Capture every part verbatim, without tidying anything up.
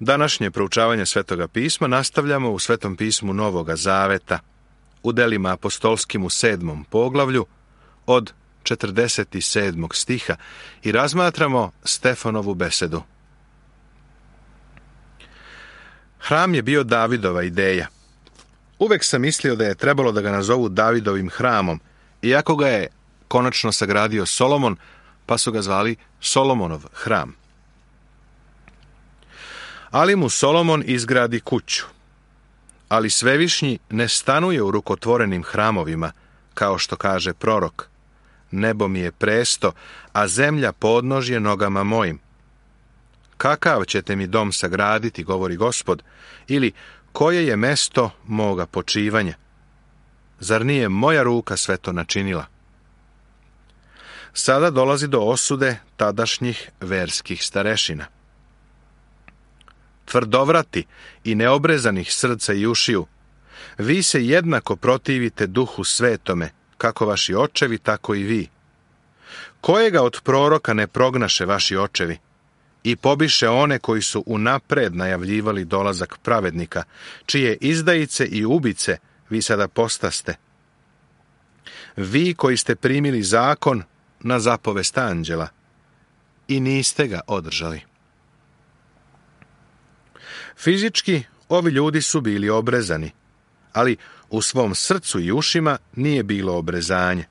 Današnje proučavanje Svetoga pisma nastavljamo u Svetom pismu Novoga Zaveta, u delima apostolskim u sedmom poglavlju, od četrdeset sedmog stiha i razmatramo Stefanovu besedu. Hram je bio Davidova ideja. Uvek sam mislio da je trebalo da ga nazovu Davidovim hramom, iako ga je konačno sagradio Solomon, pa su ga zvali Solomonov hram. Ali mu Solomon izgradi kuću. Ali Svevišnji ne stanuje u rukotvorenim hramovima, kao što kaže prorok. Nebo mi je presto, a zemlja podnožje nogama mojim. Kakav ćete mi dom sagraditi, govori Gospod, ili koje je mesto moga počivanja? Zar nije moja ruka sve to načinila? Sada dolazi do osude tadašnjih verskih starešina. Tvrdovrati i neobrezanih srca i ušiju, vi se jednako protivite Duhu Svetome, kako vaši očevi, tako i vi. Kojega od proroka ne prognaše vaši očevi i pobiše one koji su unapred najavljivali dolazak pravednika, čije izdajice i ubice vi sada postaste? Vi koji ste primili zakon na zapovest anđela i niste ga održali. Fizički ovi ljudi su bili obrezani, ali u svom srcu i ušima nije bilo obrezanje.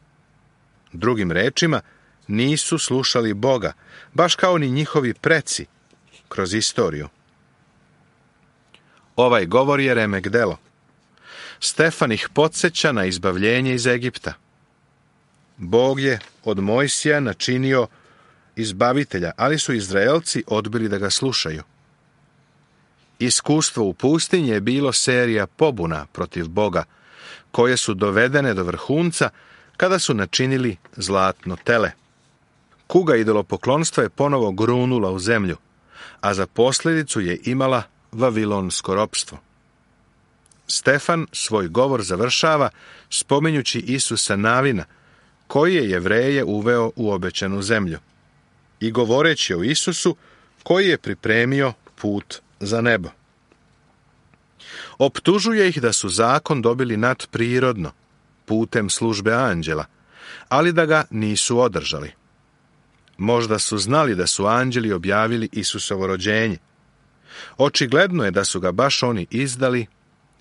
Drugim rečima, nisu slušali Boga, baš kao ni njihovi preci kroz istoriju. Ovaj govor je remek delo. Stefan ih podsjeća na izbavljenje iz Egipta. Bog je od Mojsija načinio izbavitelja, ali su Izraelci odbili da ga slušaju. Iskustvo u pustinji je bilo serija pobuna protiv Boga, koje su dovedene do vrhunca kada su načinili zlatno tele. Kuga idolopoklonstva je ponovo grunula u zemlju, a za posljedicu je imala vavilonsko ropstvo. Stefan svoj govor završava spominjući Isusa Navina, koji je Jevreje uveo u obećanu zemlju, i govoreći o Isusu koji je pripremio put za nebo. Optužuje ih da su zakon dobili nadprirodno, putem službe anđela, ali da ga nisu održali. Možda su znali da su anđeli objavili Isusovo rođenje. Očigledno je da su ga baš oni izdali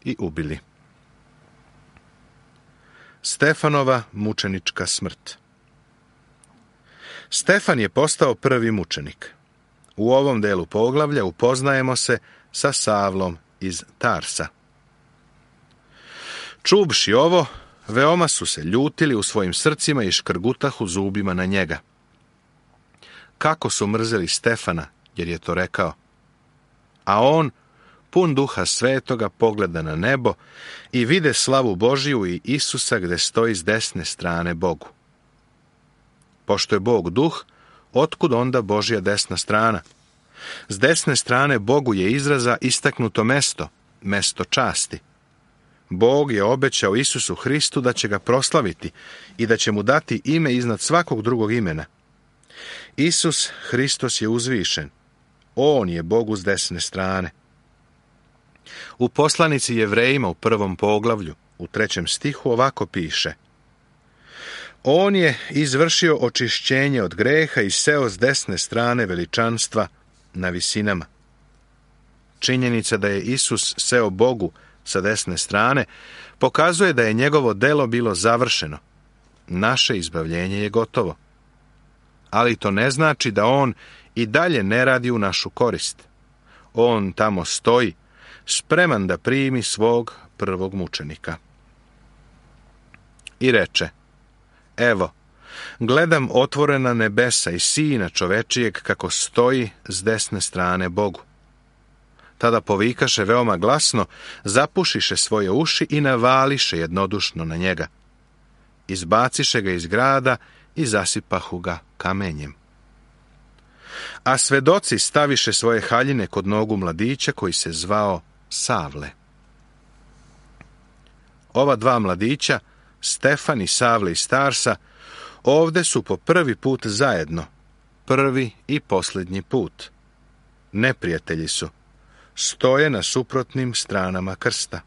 i ubili. Stefanova mučenička smrt. Stefan je postao prvi mučenik. U ovom delu poglavlja upoznajemo se sa Savlom iz Tarsa. Čuvši ovo, veoma su se ljutili u svojim srcima i škrgutahu zubima na njega. Kako su mrzeli Stefana, jer je to rekao. A on, pun Duha Svetoga, pogleda na nebo i vide slavu Božiju i Isusa gde stoji s desne strane Bogu. Pošto je Bog duh, otkud onda Božja desna strana? S desne strane Bogu je izraza istaknuto mesto, mesto časti. Bog je obećao Isusu Hristu da će ga proslaviti i da će mu dati ime iznad svakog drugog imena. Isus Hristos je uzvišen. On je Bogu s desne strane. U poslanici Jevrejima u prvom poglavlju, u trećem stihu ovako piše: On je izvršio očišćenje od greha i seo s desne strane veličanstva na visinama. Činjenica da je Isus seo Bogu sa desne strane pokazuje da je njegovo delo bilo završeno. Naše izbavljenje je gotovo. Ali to ne znači da on i dalje ne radi u našu korist. On tamo stoji, spreman da primi svog prvog mučenika. I reče: Evo, gledam otvorena nebesa i Sina čovečijeg kako stoji s desne strane Bogu. Tada povikaše veoma glasno, zapušiše svoje uši i navališe jednodušno na njega. Izbaciše ga iz grada i zasipahu ga kamenjem. A svedoci staviše svoje haljine kod nogu mladića koji se zvao Savle. Ova dva mladića, Stefan i Savle iz Tarsa, ovde su po prvi put zajedno, prvi i posljednji put. Neprijatelji su, stoje na suprotnim stranama krsta.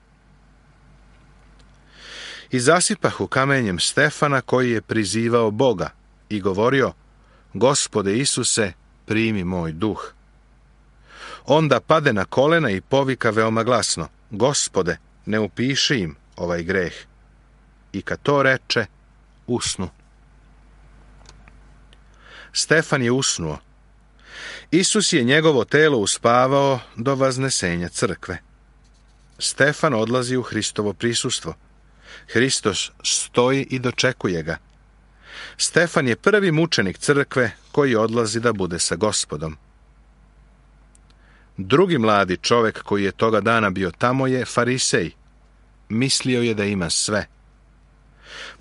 I zasipahu kamenjem Stefana koji je prizivao Boga i govorio: Gospode Isuse, primi moj duh. Onda pade na kolena i povika veoma glasno: Gospode, ne upiši im ovaj greh. I kad to reče, usnu. Stefan je usnuo. Isus je njegovo telo uspavao do vaznesenja crkve. Stefan odlazi u Hristovo prisustvo. Hristos stoji i dočekuje ga. Stefan je prvi mučenik crkve koji odlazi da bude sa Gospodom. Drugi mladi čovjek koji je toga dana bio tamo je Farisej. Mislio je da ima sve.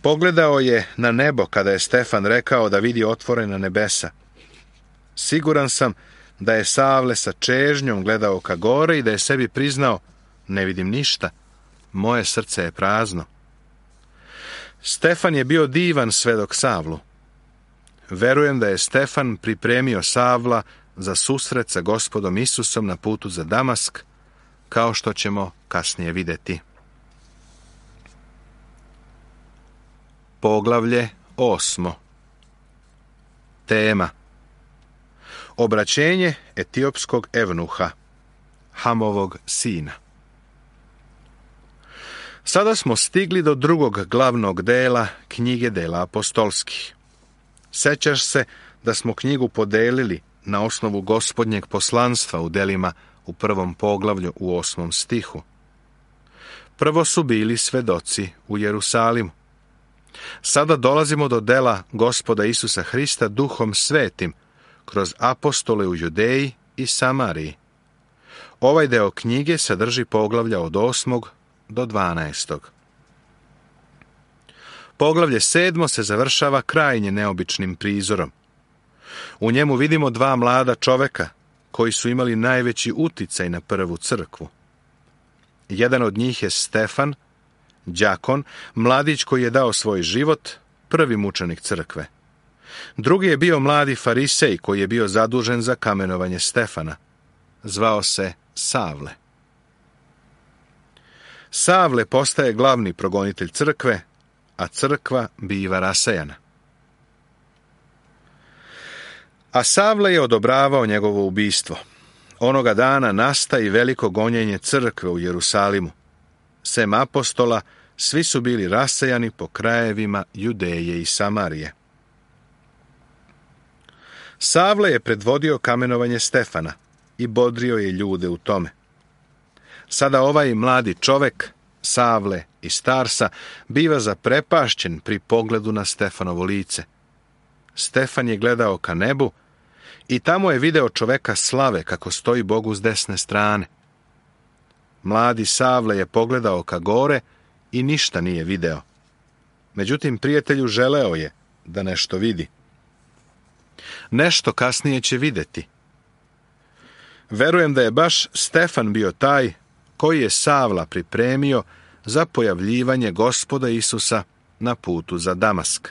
Pogledao je na nebo kada je Stefan rekao da vidi otvorena nebesa. Siguran sam da je Savle sa čežnjom gledao ka gore i da je sebi priznao: ne vidim ništa, moje srce je prazno. Stefan je bio divan svedok Savlu. Verujem da je Stefan pripremio Savla za susret sa Gospodom Isusom na putu za Damask, kao što ćemo kasnije vidjeti. Poglavlje osmo. Tema: obraćenje etiopskog evnuha, Hamovog sina. Sada smo stigli do drugog glavnog dela knjige dela apostolskih. Sećaš se da smo knjigu podelili na osnovu Gospodnjeg poslanstva u delima u prvom poglavlju u osmom stihu. Prvo su bili svedoci u Jerusalimu. Sada dolazimo do dela Gospoda Isusa Hrista Duhom Svetim kroz apostole u Judeji i Samariji. Ovaj deo knjige sadrži poglavlja od osmog do dvanaestog. Poglavlje sedmo se završava krajnje neobičnim prizorom. U njemu vidimo dva mlada čoveka koji su imali najveći uticaj na prvu crkvu. Jedan od njih je Stefan, đakon, mladić koji je dao svoj život, prvi mučenik crkve. Drugi je bio mladi Farisej koji je bio zadužen za kamenovanje Stefana. Zvao se Savle. Savle postaje glavni progonitelj crkve, a crkva biva rasejana. A Savle je odobravao njegovo ubistvo. Onoga dana nastaje veliko gonjenje crkve u Jerusalimu. Sem apostola, svi su bili rasejani po krajevima Judeje i Samarije. Savle je predvodio kamenovanje Stefana i bodrio je ljude u tome. Sada ovaj mladi čovek, Savle iz Tarsa, biva zaprepašćen pri pogledu na Stefanovo lice. Stefan je gledao ka nebu i tamo je video čoveka slave kako stoji Bogu s desne strane. Mladi Savle je pogledao ka gore i ništa nije video. Međutim, prijatelju želeo je da nešto vidi. Nešto kasnije će vidjeti. Verujem da je baš Stefan bio taj koji je Savla pripremio za pojavljivanje Gospoda Isusa na putu za Damask.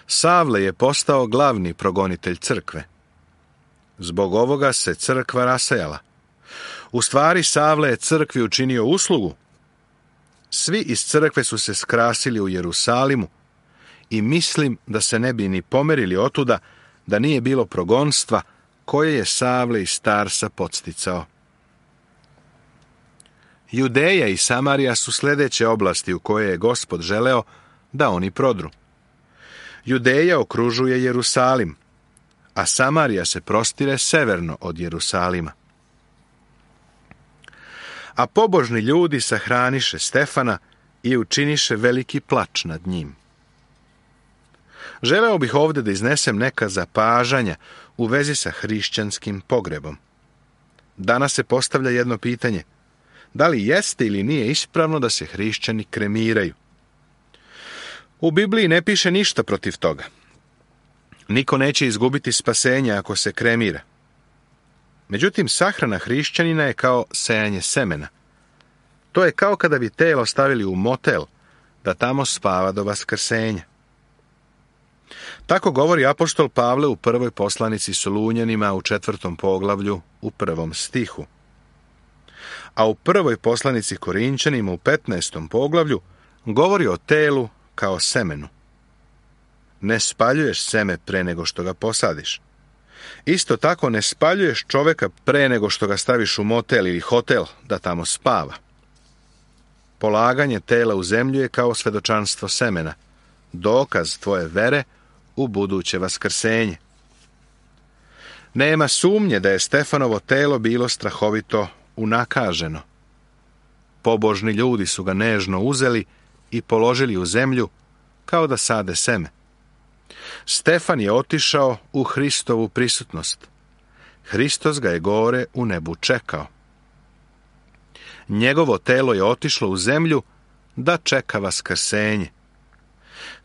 Savle je postao glavni progonitelj crkve. Zbog ovoga se crkva rasejala. U stvari, Savle je crkvi učinio uslugu. Svi iz crkve su se skrasili u Jerusalimu i mislim da se ne bi ni pomerili otuda da nije bilo progonstva koje je Savle iz Tarsa podsticao. Judeja i Samarija su sljedeće oblasti u koje je Gospod želeo da oni prodru. Judeja okružuje Jerusalim, a Samarija se prostire severno od Jerusalima. A pobožni ljudi sahraniše Stefana i učiniše veliki plač nad njim. Želeo bih ovdje da iznesem neka zapažanja u vezi sa hrišćanskim pogrebom. Danas se postavlja jedno pitanje: da li jeste ili nije ispravno da se hrišćani kremiraju? U Bibliji ne piše ništa protiv toga. Niko neće izgubiti spasenje ako se kremira. Međutim, sahrana hrišćanina je kao sejanje semena. To je kao kada bi telo stavili u motel da tamo spava do vaskrsenja. Tako govori apostol Pavle u prvoj poslanici Solunjanima u četvrtom poglavlju u prvom stihu. A u prvoj poslanici Korinćanima u petnaestom poglavlju govori o telu kao semenu. Ne spaljuješ seme pre nego što ga posadiš. Isto tako ne spaljuješ čoveka pre nego što ga staviš u motel ili hotel da tamo spava. Polaganje tela u zemlju je kao svedočanstvo semena, dokaz tvoje vere u buduće vaskrsenje. Nema sumnje da je Stefanovo telo bilo strahovito unakaženo. Pobožni ljudi su ga nežno uzeli i položili u zemlju kao da sade seme. Stefan je otišao u Hristovu prisutnost. Hristos ga je gore u nebu čekao. Njegovo telo je otišlo u zemlju da čeka vaskrsenje.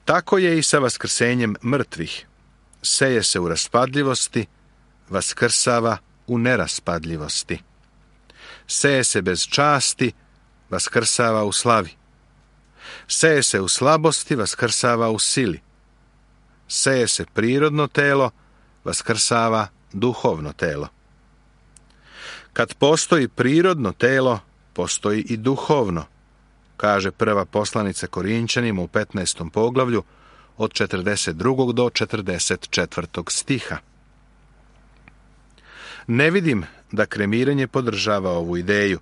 Tako je i sa vaskrsenjem mrtvih. Seje se u raspadljivosti, vaskrsava u neraspadljivosti. Seje se bez časti, vaskrsava u slavi. Seje se u slabosti, vaskrsava u sili. Seje se prirodno telo, vaskrsava duhovno telo. Kad postoji prirodno telo, postoji i duhovno, kaže prva poslanica Korinćanima u petnaestom poglavlju od četrdeset drugog do četrdeset četvrtog stiha. Ne vidim da kremiranje podržava ovu ideju.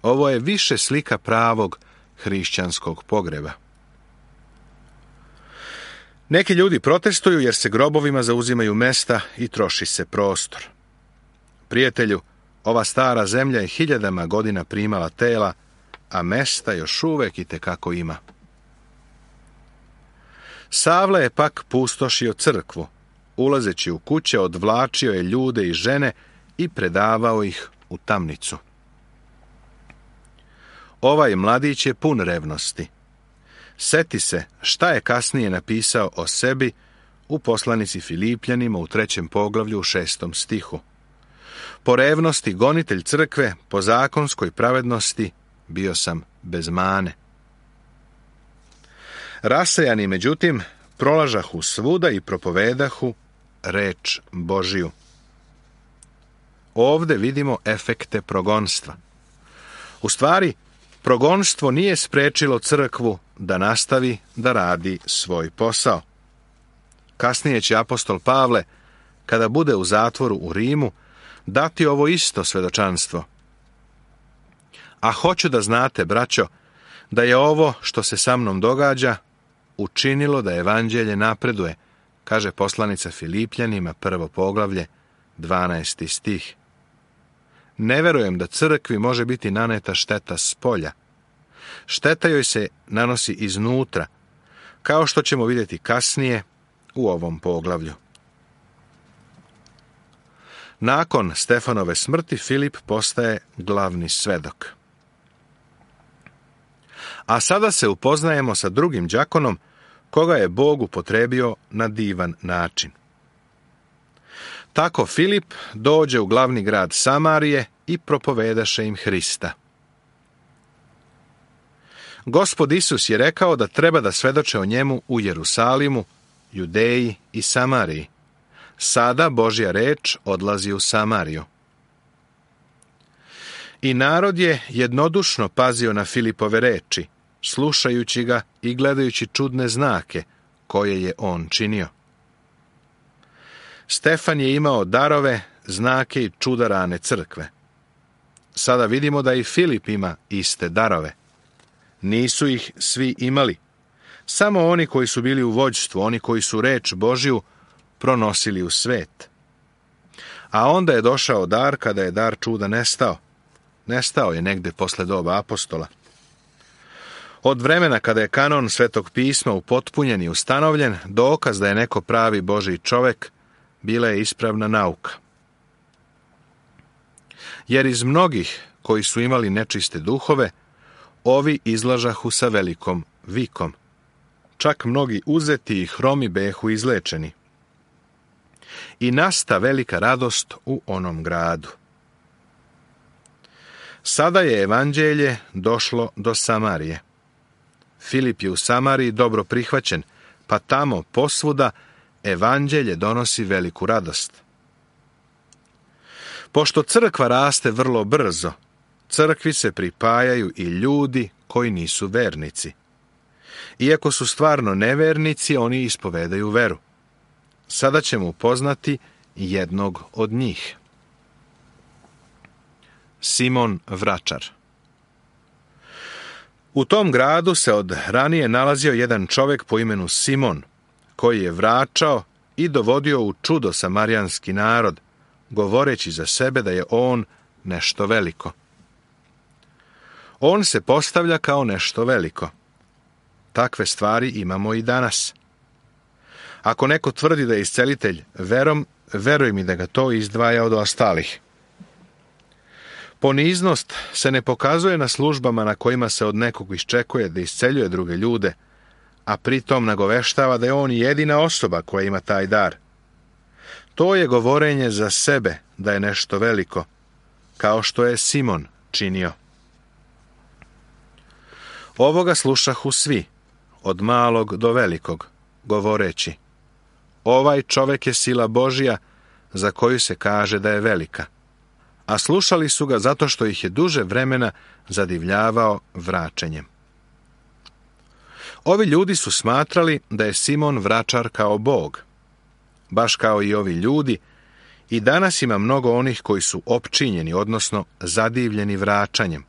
Ovo je više slika pravog hrišćanskog pogreba. Neki ljudi protestuju jer se grobovima zauzimaju mesta i troši se prostor. Prijatelju, ova stara zemlja je hiljadama godina primala tela, a mesta još uvek itekako ima. Savle je pak pustošio crkvu. Ulazeći u kuće, odvlačio je ljude i žene i predavao ih u tamnicu. Ovaj mladić je pun revnosti. Seti se šta je kasnije napisao o sebi u poslanici Filipljanima u trećem poglavlju u šestom stihu. Po revnosti gonitelj crkve, po zakonskoj pravednosti bio sam bez mane. Rasejani, međutim, prolažahu svuda i propovedahu reč Božiju. Ovde vidimo efekte progonstva. U stvari, progonstvo nije sprečilo crkvu da nastavi da radi svoj posao. Kasnije će apostol Pavle, kada bude u zatvoru u Rimu, dati ovo isto svedočanstvo. A hoću da znate, braćo, da je ovo što se sa mnom događa učinilo da evanđelje napreduje, kaže poslanica Filipljanima, prvo poglavlje, dvanaesti stih. Ne verujem da crkvi može biti naneta šteta spolja. Šteta joj se nanosi iznutra, kao što ćemo vidjeti kasnije u ovom poglavlju. Nakon Stefanove smrti Filip postaje glavni svedok. A sada se upoznajemo sa drugim đakonom, koga je Bog upotrebio na divan način. Tako Filip dođe u glavni grad Samarije i propovedaše im Hrista. Gospod Isus je rekao da treba da svedoče o njemu u Jerusalimu, Judeji i Samariji. Sada Božja reč odlazi u Samariju. I narod je jednodušno pazio na Filipove reči, slušajući ga i gledajući čudne znake koje je on činio. Stefan je imao darove, znake i čuda rane crkve. Sada vidimo da i Filip ima iste darove. Nisu ih svi imali. Samo oni koji su bili u vođstvu, oni koji su reč Božju pronosili u svet. A onda je došao dar kada je dar čuda nestao. Nestao je negde posle doba apostola. Od vremena kada je kanon Svetog pisma upotpunjen i ustanovljen, dokaz da je neko pravi Božji čovek, bila je ispravna nauka. Jer iz mnogih koji su imali nečiste duhove, ovi izlažahu sa velikom vikom. Čak mnogi uzeti i hromi behu izlečeni. I nasta velika radost u onom gradu. Sada je evanđelje došlo do Samarije. Filip je u Samariji dobro prihvaćen, pa tamo posvuda evanđelje donosi veliku radost. Pošto crkva raste vrlo brzo, crkvi se pripajaju i ljudi koji nisu vernici. Iako su stvarno nevernici, oni ispovedaju veru. Sada ćemo upoznati jednog od njih. Simon Vračar. U tom gradu se od ranije nalazio jedan čovjek po imenu Simon, koji je vračao i dovodio u čudo samarijanski narod, govoreći za sebe da je on nešto veliko. On se postavlja kao nešto veliko. Takve stvari imamo i danas. Ako neko tvrdi da je iscelitelj verom, veruj mi da ga to izdvaja od ostalih. Poniznost se ne pokazuje na službama na kojima se od nekog iščekuje da isceljuje druge ljude, a pritom nagoveštava da je on jedina osoba koja ima taj dar. To je govorenje za sebe da je nešto veliko, kao što je Simon činio. Ovoga slušahu svi, od malog do velikog, govoreći: ovaj čovjek je sila Božja za koju se kaže da je velika. A slušali su ga zato što ih je duže vremena zadivljavao vračenjem. Ovi ljudi su smatrali da je Simon Vračar kao Bog. Baš kao i ovi ljudi, i danas ima mnogo onih koji su opčinjeni, odnosno zadivljeni vračanjem.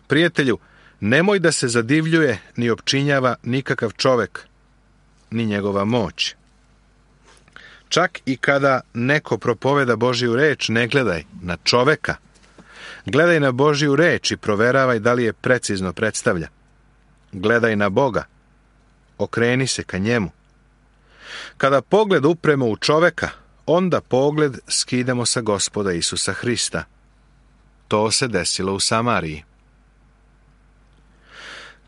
Prijatelju, nemoj da se zadivljuje ni opčinjava nikakav čovjek, ni njegova moć. Čak i kada neko propoveda Božju reč, ne gledaj na čoveka. Gledaj na Božju reč i proveravaj da li je precizno predstavlja. Gledaj na Boga. Okreni se ka njemu. Kada pogled upremo u čoveka, onda pogled skidamo sa Gospoda Isusa Hrista. To se desilo u Samariji.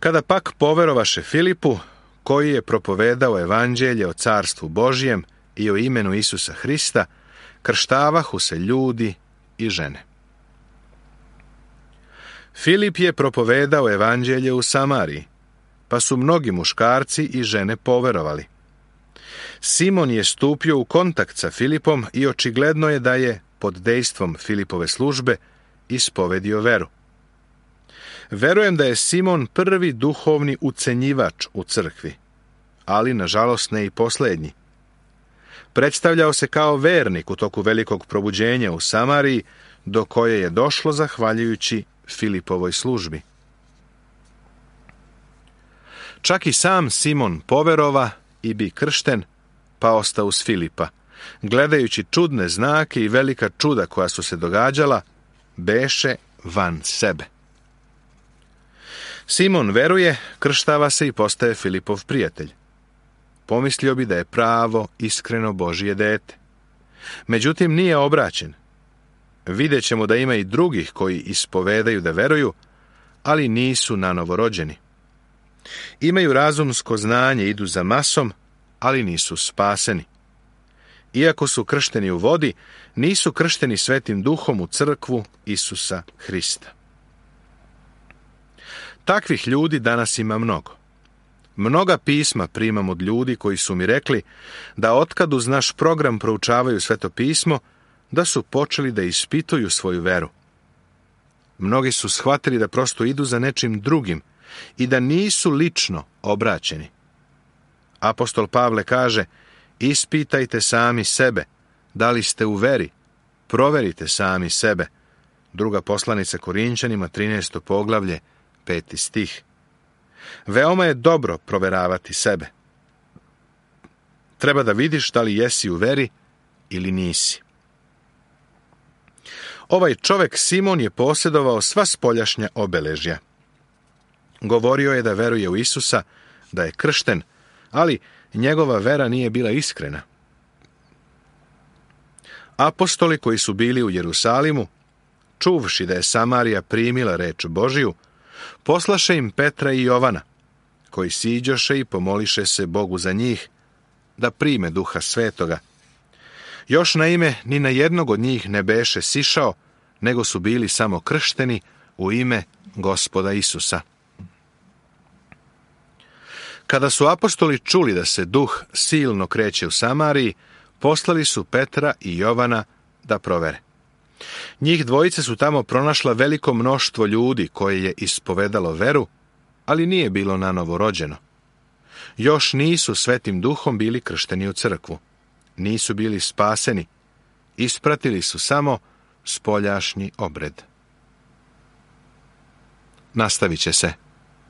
Kada pak poverovaše Filipu, koji je propovedao evanđelje o carstvu Božjem i o imenu Isusa Hrista, krštavahu se ljudi i žene. Filip je propovedao evanđelje u Samariji, pa su mnogi muškarci i žene poverovali. Simon je stupio u kontakt sa Filipom i očigledno je da je, pod dejstvom Filipove službe, ispovedio veru. Verujem da je Simon prvi duhovni ucenjivač u crkvi, ali nažalost ne i posljednji. Predstavljao se kao vernik u toku velikog probuđenja u Samariji, do koje je došlo zahvaljujući Filipovoj službi. Čak i sam Simon poverova i bi kršten, pa ostao uz Filipa. Gledajući čudne znake i velika čuda koja su se događala, beše van sebe. Simon veruje, krštava se i postaje Filipov prijatelj. Pomislio bi da je pravo, iskreno Božje dete. Međutim, nije obraćen. Vidjet ćemo da ima i drugih koji ispovedaju da veruju, ali nisu nanovo rođeni. Imaju razumsko znanje, idu za masom, ali nisu spaseni. Iako su kršteni u vodi, nisu kršteni Svetim Duhom u crkvu Isusa Hrista. Takvih ljudi danas ima mnogo. Mnoga pisma primam od ljudi koji su mi rekli da otkad uz naš program proučavaju Sveto pismo, da su počeli da ispituju svoju veru. Mnogi su shvatili da prosto idu za nečim drugim i da nisu lično obraćeni. Apostol Pavle kaže: ispitajte sami sebe, da li ste u veri, proverite sami sebe. Druga poslanica Korinćanima, trinaesto poglavlje, peti stih. Veoma je dobro proveravati sebe. Treba da vidiš da li jesi u veri ili nisi. Ovaj čovjek Simon je posjedovao sva spoljašnja obeležja. Govorio je da veruje u Isusa, da je kršten, ali njegova vera nije bila iskrena. Apostoli koji su bili u Jerusalimu, čuvši da je Samarija primila reč Božiju, poslaše im Petra i Jovana, koji siđoše i pomoliše se Bogu za njih, da prime Duha Svetoga. Još naime ni na jednog od njih ne beše sišao, nego su bili samo kršteni u ime Gospoda Isusa. Kada su apostoli čuli da se duh silno kreće u Samariji, poslali su Petra i Jovana da provere. Njih dvojice su tamo pronašla veliko mnoštvo ljudi koje je ispovedalo veru, ali nije bilo nanovo rođeno. Još nisu Svetim duhom bili kršteni u crkvu. Nisu bili spaseni. Ispratili su samo spoljašnji obred. Nastavit će se.